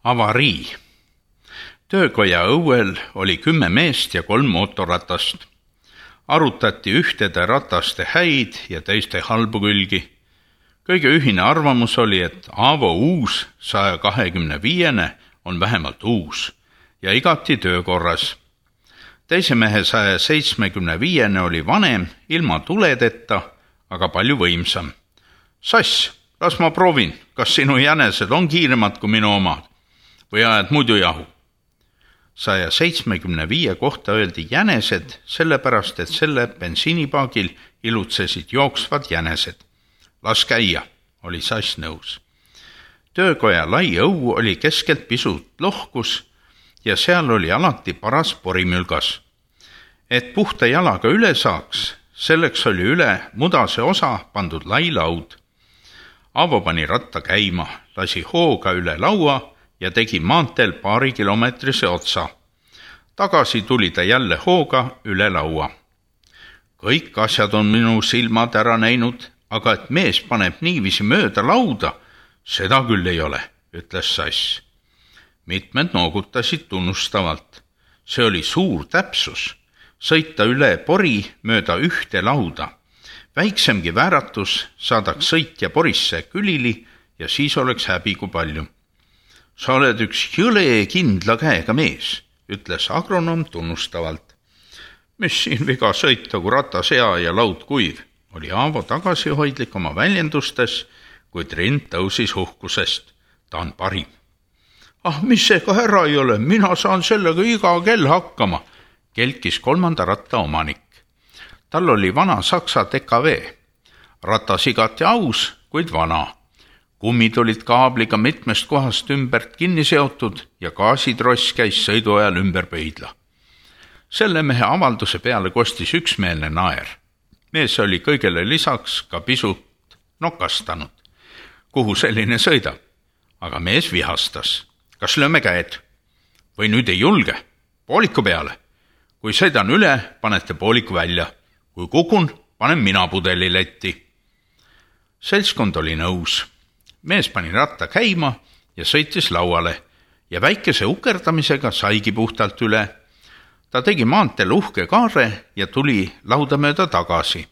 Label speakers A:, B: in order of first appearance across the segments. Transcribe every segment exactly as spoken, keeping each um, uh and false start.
A: Avarii. Töökoja õuel oli kümme meest ja kolm mootorratast. Arutati ühtede rataste häid ja teiste halbu külgi. Kõige ühine arvamus oli, et Aavo uus saja kahekümne viiene on vähemalt uus ja igati töökorras. Teise mehe saja seitsmekümne viiene oli vanem, ilma tuledeta, aga palju võimsam. Sass, las ma proovin, kas sinu jänesed on kiiremad kui minu omad või ajad muidu jahu. saja seitsmekümne viie kohta öeldi jänesed, sellepärast et selle bensiinipaagil ilutsesid jooksvad jänesed. Las käia, oli Sass nõus. Töökoja lai õu oli keskelt pisut lohkus ja seal oli alati paras porimülgas. Et puhta jalaga üle saaks, selleks oli üle mudase osa pandud lai laud. Aavo pani ratta käima, lasi hooga üle laua ja tegi maanteel paari kilomeetrise otsa. Tagasi tuli ta jälle hooga üle laua. Kõik asjad on minu silmad ära näinud, aga et mees paneb niiviisi mööda lauda, seda küll ei ole, ütles Sass. Mitmed noogutasid tunnustavalt. See oli suur täpsus, sõita üle pori mööda ühte lauda. Väiksemgi vääratus saadaks sõitja porisse külili ja siis oleks häbi kui palju. Sa oled üks jõle kindla käega mees, ütles agronom tunnustavalt. Mis siin viga sõita, kui ratas hea ja laud kuiv, oli Aavo tagasihoidlik oma väljendustes, kuid rind tõusis uhkusest. Ta on parim. Ah, mis see ka ära ei ole, mina saan sellega iga kell hakkama, kelkis kolmanda ratta omanik. Tal oli vana Saksa D K V. Ratas igati aus, kuid vana. Kummid olid kaabliga mitmest kohast ümbert kinni seotud ja gaasitross käis sõidu ajal ümber pöidla. Selle mehe avalduse peale kostis üksmeelne naer. Mees oli kõigele lisaks ka pisut nokastanud. Kuhu selline sõidab? Aga mees vihastas. Kas lööme käed? Või nüüd ei julge? Pooliku peale. Kui sõidan üle, panete pooliku välja. Kui kukun, panen mina pudeli letti. Seltskond oli nõus. Mees pani ratta käima ja sõitis lauale ja väikese ukerdamisega saigi puhtalt üle. Ta tegi maanteel uhke kaare ja tuli lauda mööda tagasi.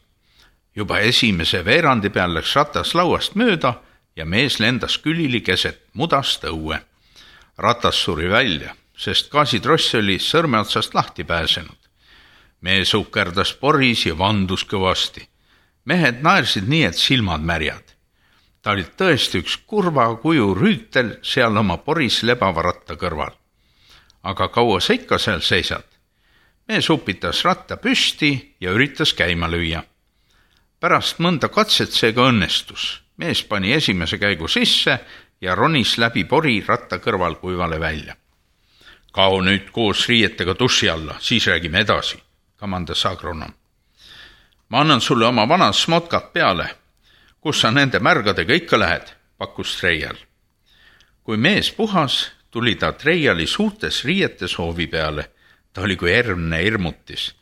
A: Juba esimese veerandi peal läks ratas lauast mööda ja mees lendas külili keset mudast õue. Ratas suri välja, sest gaasitross oli sõrmeotsast lahti pääsenud. Mees ukerdas poris ja vandus kõvasti. Mehed naersid nii, et silmad märjad. Ta oli tõesti üks kurva kuju rüütel seal oma poris lebava ratta kõrval. Aga kaua sa ikka seal seisad? Mees upitas ratta püsti ja üritas käima lüüa. Pärast mõnda katset seega õnnestus. Mees pani esimese käigu sisse ja ronis läbi pori ratta kõrval kuivale välja. Kao nüüd koos riietega duši alla, siis räägime edasi, kamandas agronom. Ma annan sulle oma vanad smotkad peale. Kus sa nende märgadega ikka lähed, pakkus Treial. Kui mees puhas, tuli ta Treiali suurtes riietes hoovi peale. Ta oli kui ermne irmutis.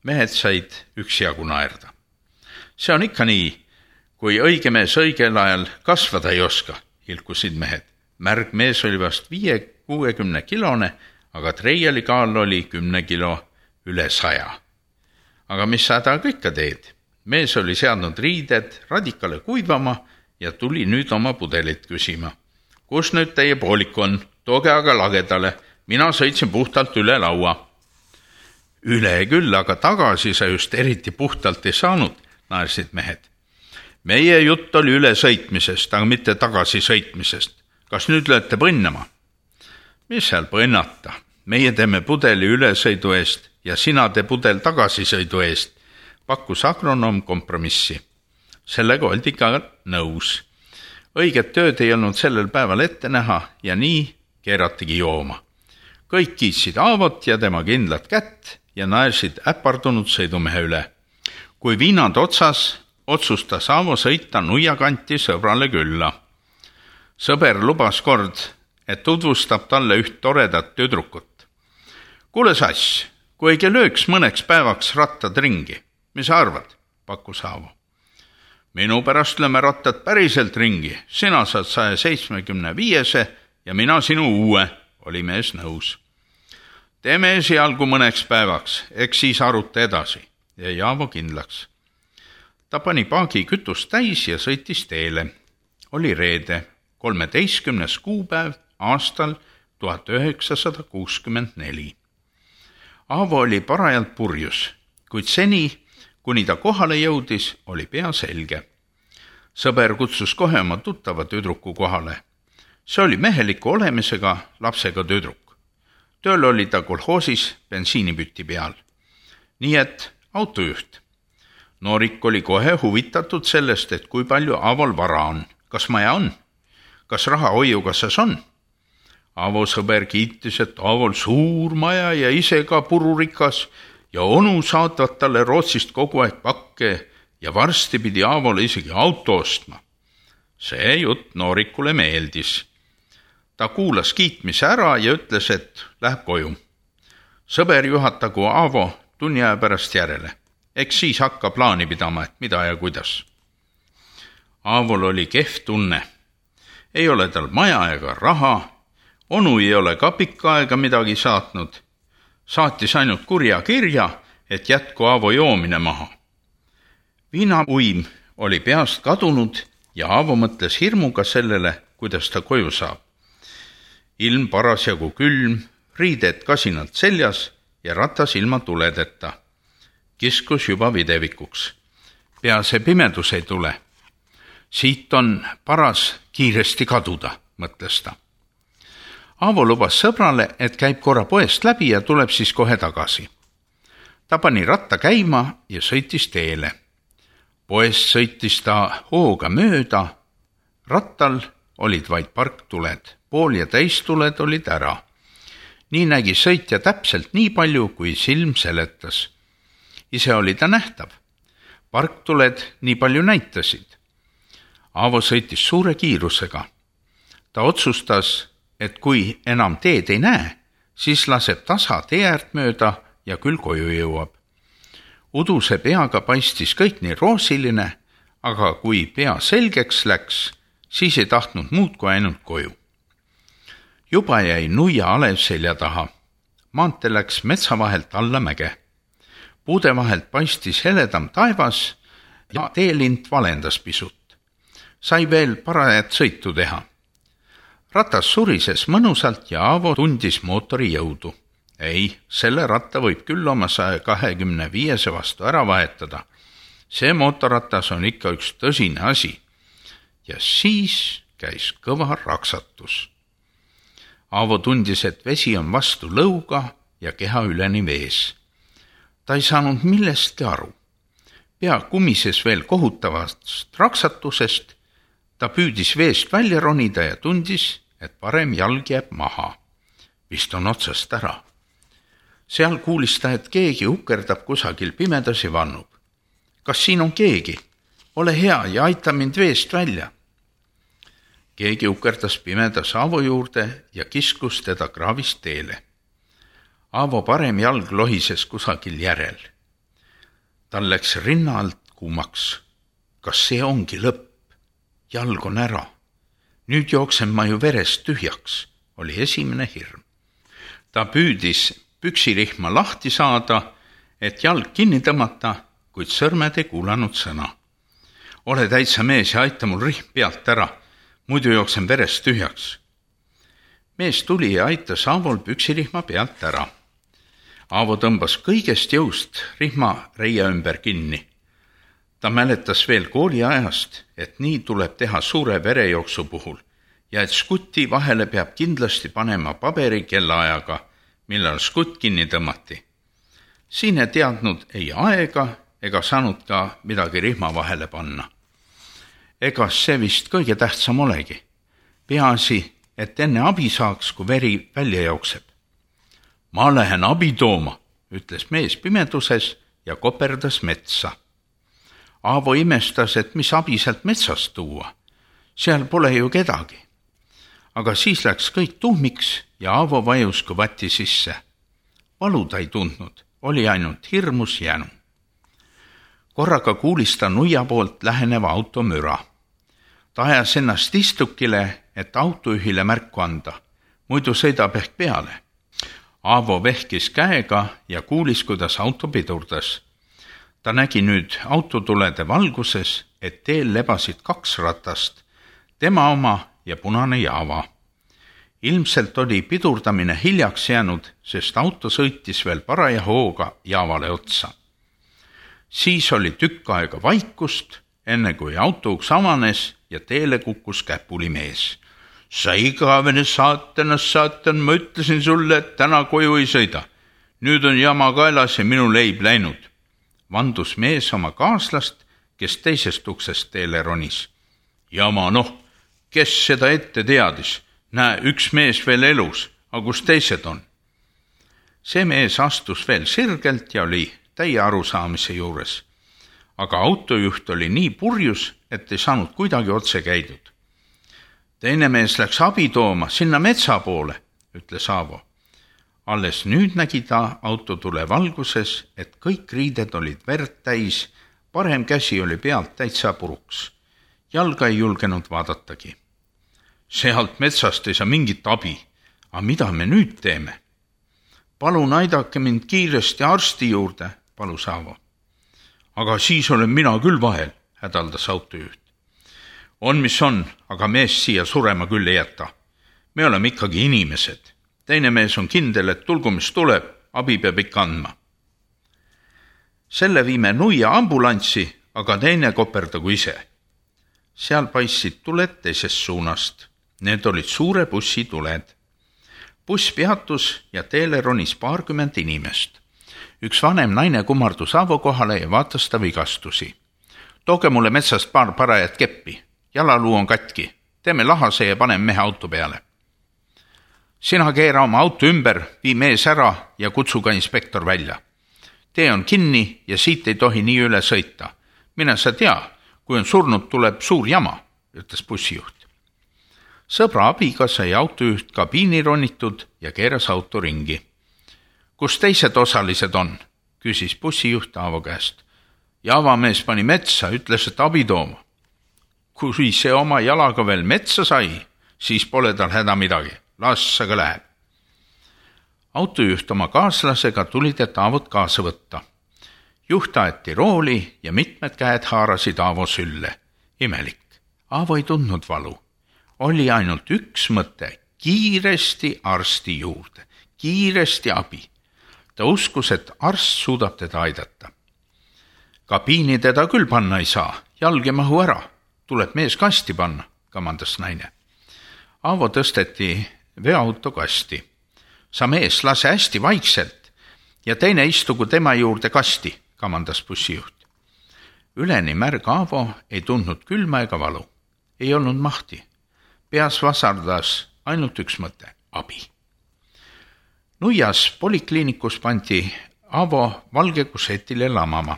A: Mehed said üksjagu naerda. See on ikka nii, kui õige mees õigel ajal kasvada ei oska, ilkusid mehed. Märg mees oli vast viie kuuekümne kilone, aga Treiali kaal oli kümne kilo üle saja. Aga mis sa taga ikka teed? Mees oli seadnud riided radikale kuivama ja tuli nüüd oma pudelit küsima. Kus nüüd teie poolik on? Tooge aga lagedale. Mina sõitsin puhtalt üle laua. Üle küll, aga tagasi sa just eriti puhtalt ei saanud, naersid mehed. Meie jutt oli üle sõitmisest, aga mitte tagasi sõitmisest. Kas nüüd lööte põnnama? Mis seal põnnata? Meie teeme pudeli ülesõidu eest ja sina tee pudel tagasisõidu eest. Pakkus agronom kompromissi. Sellega oldi ka nõus. Õiget tööd ei olnud sellel päeval ette näha ja nii keeratigi jooma. Kõik kiitsid Aavot ja tema kindlat kätt ja naersid äpardunud sõidumehe üle. Kui viinad otsas, otsustas Aavo sõita nuiakanti sõbrale külla. Sõber lubas kord, et tutvustab talle üht toredat tüdrukut. Kuule Sass, kui ei lööks mõneks päevaks rattad ringi, mis sa arvad, pakkus Aavo. Minu pärast lööme rattad päriselt ringi, sina saad saja seitsmekümne viiese ja mina sinu uue, oli mees nõus. Teeme esialgu mõneks päevaks, eks siis aruta edasi, jäi Aavo kindlaks. Ta pani paagi kütust täis ja sõitis teele. Oli reede, kolmeteistkümnes kuupäev aastal tuhat üheksasada kuuskümmend neli. Aavo oli parajalt purjus, kuid seni, kuni ta kohale jõudis, oli pea selge. Sõber kutsus kohe oma tuttava tüdruku kohale. See oli meheliku olemisega lapsega tüdruk. Tööl oli ta kolhoosis bensiinipüti peal. Nii et autojuht. Noorik oli kohe huvitatud sellest, et kui palju Aavol vara on. Kas maja on? Kas raha hoiukassas on? Aavo sõber kiitis, et Aavol suur maja ja ise ka pururikas ja onu saatvad talle Rootsist kogu aeg pakke ja varsti pidi Aavole isegi auto ostma. See jutt Noorikule meeldis. Ta kuulas kiitmise ära ja ütles, et läheb koju. Sõber juhatagu Aavo tunni aja pärast järele. Eks siis hakka plaani pidama, et mida ja kuidas. Aavol oli kehv tunne. Ei ole tal maja ega raha. Onu ei ole ka pikka aega midagi saatnud. Saatis ainult kurja kirja, et jätku Aavo joomine maha. Viinauim oli peast kadunud ja Aavo mõtles hirmuga sellele, kuidas ta koju saab. Ilm parasjagu külm, riided kasinalt seljas ja ratas ilma tuledeta. Kiskus juba videvikuks. Pea see pimedus ei tule. Siit on paras kiiresti kaduda, mõtles ta. Aavo lubas sõbrale, et käib korra poest läbi ja tuleb siis kohe tagasi. Ta pani ratta käima ja sõitis teele. Poest sõitis ta hooga mööda. Rattal olid vaid parktuled. Pool ja täistuled olid ära. Nii nägi sõitja täpselt nii palju, kui silm seletas. Ise oli ta nähtav. Parktuled nii palju näitasid. Aavo sõitis suure kiirusega. Ta otsustas, et kui enam teed ei näe, siis laseb tasa tee äärt mööda ja küll koju jõuab. Uduse peaga paistis kõik nii roosiline, aga kui pea selgeks läks, siis ei tahtnud muud kui ainult koju. Juba jäi nuia alev selja taha. Maante läks metsa vahelt alla mäge. Puude vahelt paistis heledam taevas ja teelint valendas pisut. Sai veel parajat sõitu teha. Ratas surises mõnusalt ja Aavo tundis mootori jõudu. Ei, selle ratta võib küll oma saja kahekümne viiese vastu ära vahetada. See mootorratas on ikka üks tõsine asi. Ja siis käis kõva raksatus. Aavo tundis, et vesi on vastu lõuga ja keha üleni vees. Ta ei saanud millestki aru. Pea kumises veel kohutavast raksatusest. Ta püüdis veest välja ronida ja tundis, et parem jalg jääb maha. Vist on otsast ära. Seal kuulis ta, et keegi ukerdab kusagil pimedas ja vannub. Kas siin on keegi? Ole hea ja aita mind veest välja. Keegi ukerdas pimedas Aavo juurde ja kiskus teda kraavist teele. Aavo parem jalg lohises kusagil järel. Tal läks rinna alt kuumaks. Kas see ongi lõpp? Jalg on ära. Nüüd jooksen ma ju verest tühjaks, oli esimene hirm. Ta püüdis püksirihma lahti saada, et jalg kinni tõmmata, kuid sõrmed ei kuulanud sõna. Ole täitsa mees ja aita mul rihm pealt ära, muidu jooksen verest tühjaks. Mees tuli ja aitas Aavol püksirihma pealt ära. Aavo tõmbas kõigest jõust rihma reia ümber kinni. Ta mäletas veel kooliajast, et nii tuleb teha suure verejooksu puhul ja et skutti vahele peab kindlasti panema paberi kellaajaga, millal skutt kinni tõmmati. Siin ei teadnud ei aega ega saanud ka midagi rihma vahele panna. Ega see vist kõige tähtsam olegi. Peaasi, et enne abi saaks, kui veri välja jookseb. Ma lähen abi tooma, ütles mees pimeduses ja koperdas metsa. Aavo imestas, et mis abi sealt metsast tuua. Seal pole ju kedagi. Aga siis läks kõik tuhmiks ja Aavo vajus kui vati sisse. Valu ta ei tundnud, oli ainult hirmus jänu. Korraga kuulis ta nuia poolt läheneva auto müra. Ta ajas ennast istukile, et autojuhile märku anda, muidu sõidab ehk peale. Aavo vehkis käega ja kuulis, kuidas auto pidurdas. Ta nägi nüüd autotulede valguses, et teel lebasid kaks ratast, tema oma ja punane Java. Ilmselt oli pidurdamine hiljaks jäänud, sest auto sõitis veel paraja hooga Javale otsa. Siis oli tükk aega vaikust, enne kui autouks avanes ja teele kukkus käpuli mees. Sa igavene saatanas saatan, ma ütlesin sulle, et täna koju ei sõida. Nüüd on jama kaelas ja minu leib läinud. Vandus mees oma kaaslast, kes teisest uksest teele ronis. Jama, noh, kes seda ette teadis? Näe, üks mees veel elus, aga kus teised on? See mees astus veel sirgelt ja oli täie arusaamise juures. Aga autojuht oli nii purjus, et ei saanud kuidagi otse käidud. Teine mees läks abi tooma sinna metsa poole, ütles Aavo. Alles nüüd nägi ta autotule valguses, et kõik riided olid verd täis, parem käsi oli pealt täitsa puruks. Jalga ei julgenud vaadatagi. Sealt metsast ei saa mingit abi, aga mida me nüüd teeme? Palun aidake mind kiiresti arsti juurde, palus Aavo. Aga siis olen mina küll vahel, hädaldas autojuht. On mis on, aga mees siia surema küll ei jäta. Me oleme ikkagi inimesed. Teine mees on kindel, et tulgu mis tuleb, abi peab ikka andma. Selle viime nuia ambulantsi, aga teine koperdagu ise. Seal paistsid tuled teisest suunast. Need olid suure bussi tuled. Buss peatus ja teele ronis paarkümmend inimest. Üks vanem naine kummardus Aavo kohale ja vaatas ta vigastusi. Tooge mulle metsast paar parajat keppi. Jalaluu on katki. Teeme lahase ja panem mehe auto peale. Sina keera oma auto ümber, vii mees ära ja kutsu ka inspektor välja. Tee on kinni ja siit ei tohi nii üle sõita. Mine sa tea, kui on surnud, tuleb suur jama, ütles bussijuht. Sõbra abiga sai autojuht kabiini ronitud ja keeras auto ringi. Kus teised osalised on? Küsis bussijuht Aavo käest. Javamees pani metsa, ütles, et abi tooma. Kui see oma jalaga veel metsa sai, siis pole tal häda midagi. Las aga läheb. Autojuht oma kaaslasega tulid, et Aavot kaasa võtta. Juht aeti rooli ja mitmed käed haarasid Aavo sülle. Imelik. Aavo ei tundnud valu. Oli ainult üks mõte, kiiresti arsti juurde, kiiresti abi. Ta uskus, et arst suudab teda aidata. Kabiini teda küll panna ei saa, jalg ei mahu ära. Tuleb mees kasti panna, kamandas naine. Aavo tõsteti veoauto kasti. Sa mees, lase hästi vaikselt ja teine istugu tema juurde kasti, kamandas bussijuht. Üleni märg Aavo ei tundnud külma ega valu. Ei olnud mahti. Peas vasardas ainult üks mõte, abi. Nuias polikliinikus pandi Aavo valge kusetile lamama.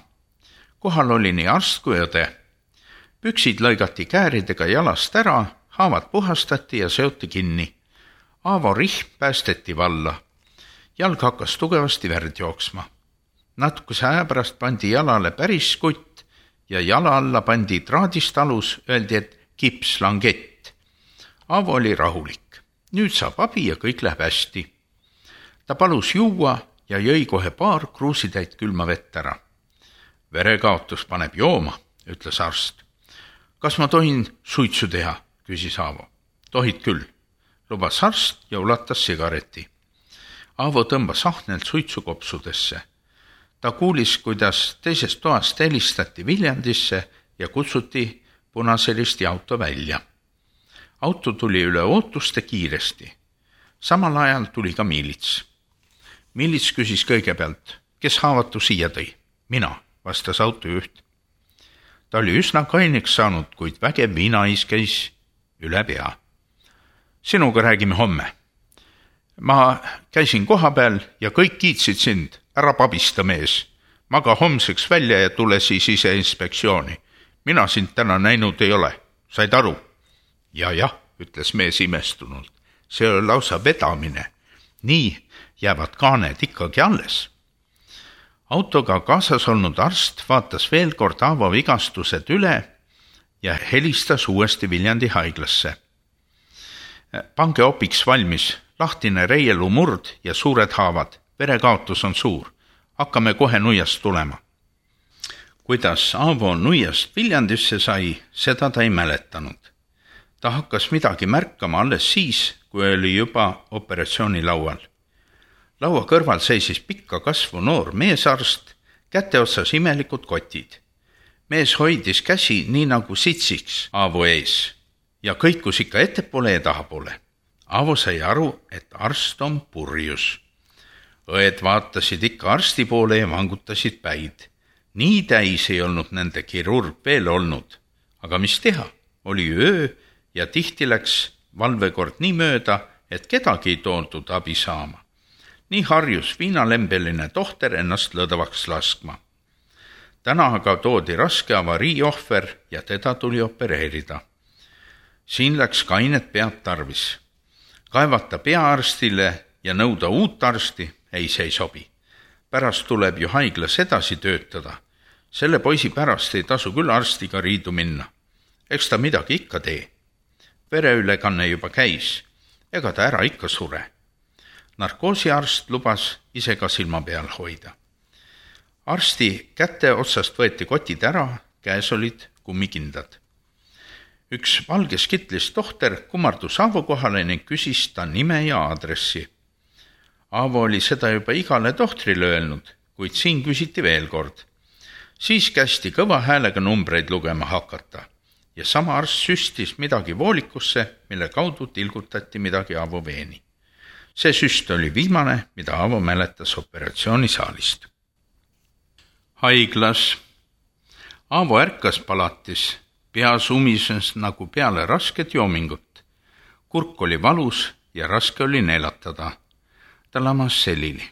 A: Kohal oli nii arst kui õde. Püksid lõigati kääridega jalast ära, haavad puhastati ja seoti kinni. Aavo rihm päästeti valla. Jalg hakkas tugevasti verd jooksma. Natukese aja pärast pandi jalale päris kutt ja jala alla pandi traadist alus, öeldi, et kips langett. Aavo oli rahulik. Nüüd saab abi ja kõik läheb hästi. Ta palus juua ja jõi kohe paar kruusitäit külma vett ära. Verekaotus paneb jooma, ütles arst. Kas ma tohin suitsu teha, küsis Aavo. Tohid küll, lubas arst ja ulatas sigareti. Aavo tõmbas ahnelt suitsukopsudesse. Ta kuulis, kuidas teisest toast helistati Viljandisse ja kutsuti punaselisti auto välja. Auto tuli üle ootuste kiiresti. Samal ajal tuli ka miilits. Miilits küsis kõigepealt, kes haavatu siia tõi? Mina, vastas autojuht. Ta oli üsna kaineks saanud, kuid vägev viinais käis üle pea. Sinuga räägime homme. Ma käisin koha peal ja kõik kiitsid sind, ära pabista mees. Maga homseks välja ja tule siis ise inspektsiooni. Mina sind täna näinud ei ole, said aru? Ja jah, ütles mees imestunult, see oli lausa vedamine. Nii jäävad kaaned ikkagi alles. Autoga kaasas olnud arst vaatas veel kord Aavo vigastused üle ja helistas uuesti Viljandi haiglasse. Pange opiks valmis, lahtine reielu murd ja suured haavad, verekaotus on suur, hakkame kohe nuiast tulema. Kuidas Aavo nuiast Viljandisse sai, seda ta ei mäletanud. Ta hakkas midagi märkama alles siis, kui oli juba operatsioonilaual. Laua kõrval seisis pikka kasvu noor meesarst, käte otsas imelikud kotid. Mees hoidis käsi nii nagu sitsiks Aavo ees ja kõikus ikka ettepoole ja tahapoole. Aavo sai aru, et arst on purjus. Õed vaatasid ikka arsti poole ja vangutasid päid. Nii täis ei olnud nende kirurg veel olnud, aga mis teha, oli öö ja tihti läks valvekord nii mööda, et kedagi ei toodud abi saama. Nii harjus viinalembeline tohter ennast lõdvaks laskma. Täna aga toodi raske avariiohver ja teda tuli opereerida. Siin läks kainet pead tarvis. Kaevata peaarstile ja nõuda uut arsti, ei see ei sobi. Pärast tuleb ju haiglas edasi töötada. Selle poisi pärast ei tasu küll arstiga riidu minna. Eks ta midagi ikka tee. Vereülekanne juba käis, ega ta ära ikka sure. Narkoosiarst lubas ise ka silma peal hoida. Arsti käte otsast võeti kotid ära, käes olid kummikindad. Üks valges kitlis tohter kummardus Aavo kohale ning küsis ta nime ja aadressi. Aavo oli seda juba igale tohtrile öelnud, kuid siin küsiti veel kord. Siis kästi kõva häälega numbreid lugema hakata ja sama arst süstis midagi voolikusse, mille kaudu tilgutati midagi Aavo veeni. See süst oli viimane, mida Aavo mäletas operatsioonisaalist. Haiglas. Aavo ärkas palatis, pea sumises nagu peale rasket joomingut. Kurk oli valus ja raske oli neelatada. Ta lamas selili.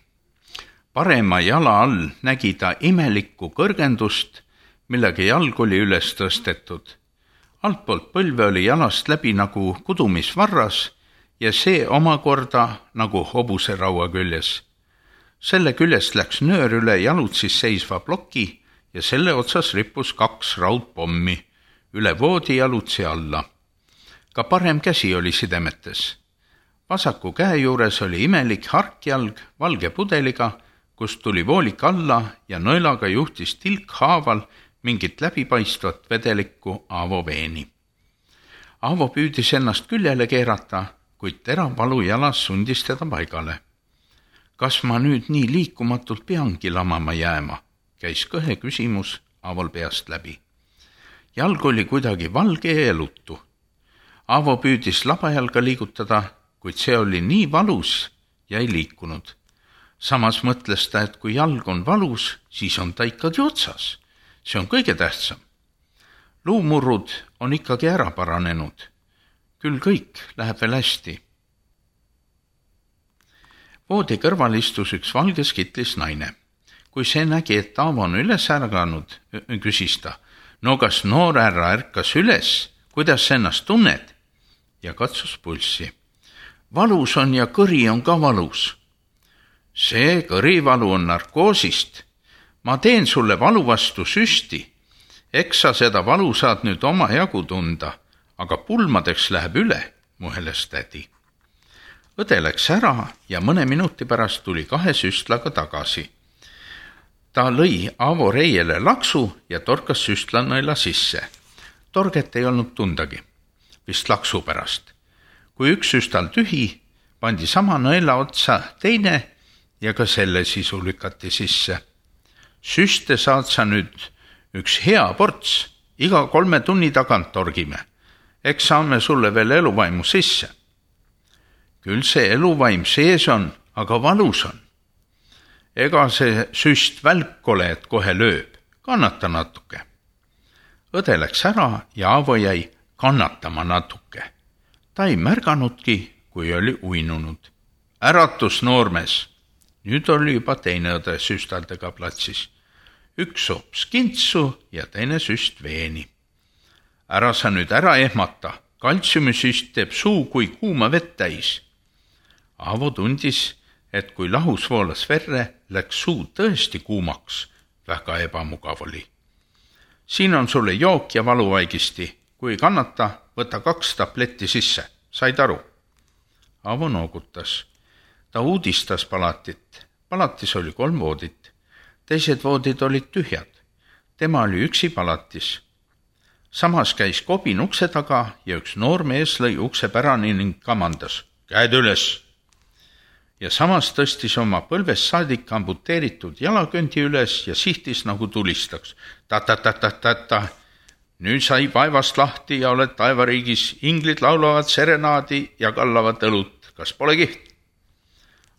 A: Parema jala all nägi ta imelikku kõrgendust, millega jalg oli üles tõstetud. Altpoolt põlve oli jalast läbi nagu kudumisvarras ja see omakorda nagu hobuse raua küljes. Selle küljest läks nöör üle jalutsis seisva ploki ja selle otsas rippus kaks raudpommi, üle voodi jalutsi alla. Ka parem käsi oli sidemetes. Vasaku käe juures oli imelik harkjalg valge pudeliga, kust tuli voolik alla ja nõelaga juhtis tilk haaval mingit läbipaistvat vedelikku Aavo veeni. Aavo püüdis ennast küljele keerata, kuid terav valu jalas sundis teda paigale. Kas ma nüüd nii liikumatult peangi lamama jääma, käis kõhe küsimus Aavol peast läbi. Jalg oli kuidagi valge ja elutu. Aavo püüdis labajalga liigutada, kuid see oli nii valus ja ei liikunud. Samas mõtles ta, et kui jalg on valus, siis on ta ikkagi otsas. See on kõige tähtsam. Luumurrud on ikkagi ära paranenud. Küll kõik läheb veel hästi. Voodi kõrval istus üks valges kitlis naine. Kui see nägi, et Aavo on üles ärganud, küsis ta, no kas noor härra ärkas üles, kuidas ennast tunned? Ja katsus pulssi. Valus on ja kõri on ka valus. See kõrivalu on narkoosist. Ma teen sulle valu vastu süsti. Eks sa seda valu saad nüüd oma jagu tunda, aga pulmadeks läheb üle, muheles tädi. Õde läks ära ja mõne minuti pärast tuli kahe süstlaga tagasi. Ta lõi Aavo reiele laksu ja torkas süstlanõela sisse. Torget ei olnud tundagi, vist laksu pärast. Kui üks süstal tühi, pandi sama nõela otsa teine ja ka selle sisu lükati sisse. Süste saad sa nüüd üks hea ports, iga kolme tunni tagant torgime. Eks saame sulle veel eluvaimu sisse. Küll see eluvaim sees on, aga valus on. Ega see süst välk ole, et kohe lööb, kannata natuke. Õde läks ära ja Aavo jäi kannatama natuke. Ta ei märganudki, kui oli uinunud. Äratus noormees. Nüüd oli juba teine õde süstaldega platsis. Üks sops kintsu ja teine süst veeni. Ära sa nüüd ära ehmata, kaltsiumisüst teeb suu kui kuuma vett täis. Aavo tundis, et kui lahus voolas verre, läks suu tõesti kuumaks, väga ebamugav oli. Siin on sulle jook ja valuvaigisti, kui ei kannata, võta kaks tabletti sisse. Said aru? Aavo noogutas. Ta uudistas palatit. Palatis oli kolm voodit. Teised voodid olid tühjad. Tema oli üksi palatis. Samas käis Kobin ukse taga ja üks noor mees lõi ukse pärani ning kamandas. Käed üles! Ja samas tõstis oma põlvest saadik amputeeritud jalakõndi üles ja sihtis nagu tulistaks. Ta-ta-ta-ta-ta-ta. Nüüd sai vaevast lahti ja oled taevariigis. Inglid laulavad serenaadi ja kallavad õlut. Kas pole kiht?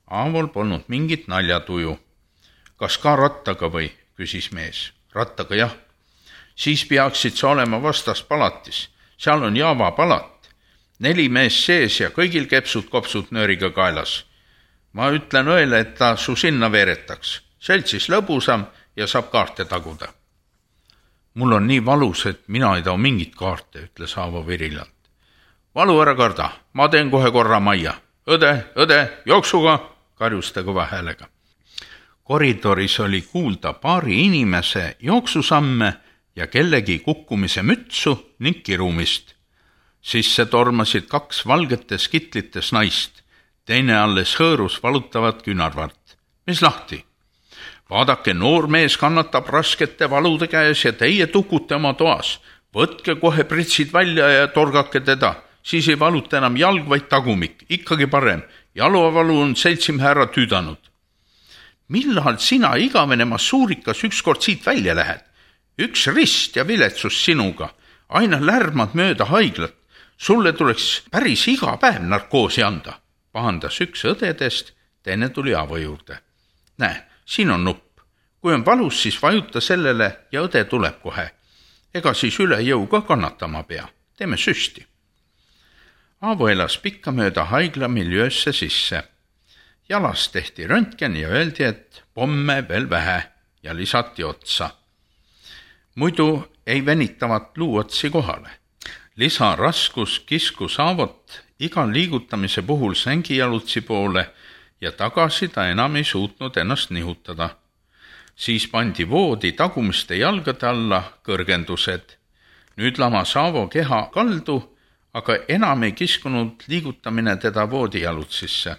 A: Aavol polnud mingit naljatuju. Kas ka rattaga või? Küsis mees. Rattaga jah. Siis peaksid sa olema vastas palatis. Seal on Jaava palat. Neli mees sees ja kõigil kepsud-kopsud nööriga kaelas. Ma ütlen õele, et ta su sinna veeretaks. Seltsis lõbusam ja saab kaarte taguda. Mul on nii valus, et mina ei tao mingit kaarte, ütles Aavo virilalt. Valu ära karda, ma teen kohe korra majja. Õde, õde, jooksuga, karjus ta kõva häälega. Koridoris oli kuulda paari inimese jooksusamme ja kellegi kukkumise mütsu ning kirumist. Sisse tormasid kaks valgetes kitlites naist. Teine alles hõõrus valutavat künarvart. Mis lahti? Vaadake, noor mees kannatab raskete valude käes ja teie tukute oma toas. Võtke kohe pritsid välja ja torgake teda. Siis ei valuta enam jalg, vaid tagumik. Ikkagi parem. Jaluavalu on seltsimehe ära tüüdanud. Millal sina igavene masuurikas ükskord siit välja lähed? Üks rist ja viletsus sinuga. Aina lärmad mööda haiglat. Sulle tuleks päris iga päev narkoosi anda. Pahandas üks õdedest, teine tuli Aavo juurde. Näe, siin on nupp. Kui on valus, siis vajuta sellele ja õde tuleb kohe. Ega siis üle jõu ka kannatama pea. Teeme süsti. Aavo elas pikka mööda haigla miljöösse sisse. Jalas tehti röntgen ja öeldi, et pomme veel vähe ja lisati otsa. Muidu ei venitavat luuotsi kohale. Lisaraskus kiskus Aavot iga liigutamise puhul sängijalutsi poole ja tagasi ta enam ei suutnud ennast nihutada. Siis pandi voodi tagumiste jalgade alla kõrgendused. Nüüd lamas Aavo keha kaldu, aga enam ei kiskunud liigutamine teda voodijalutsisse.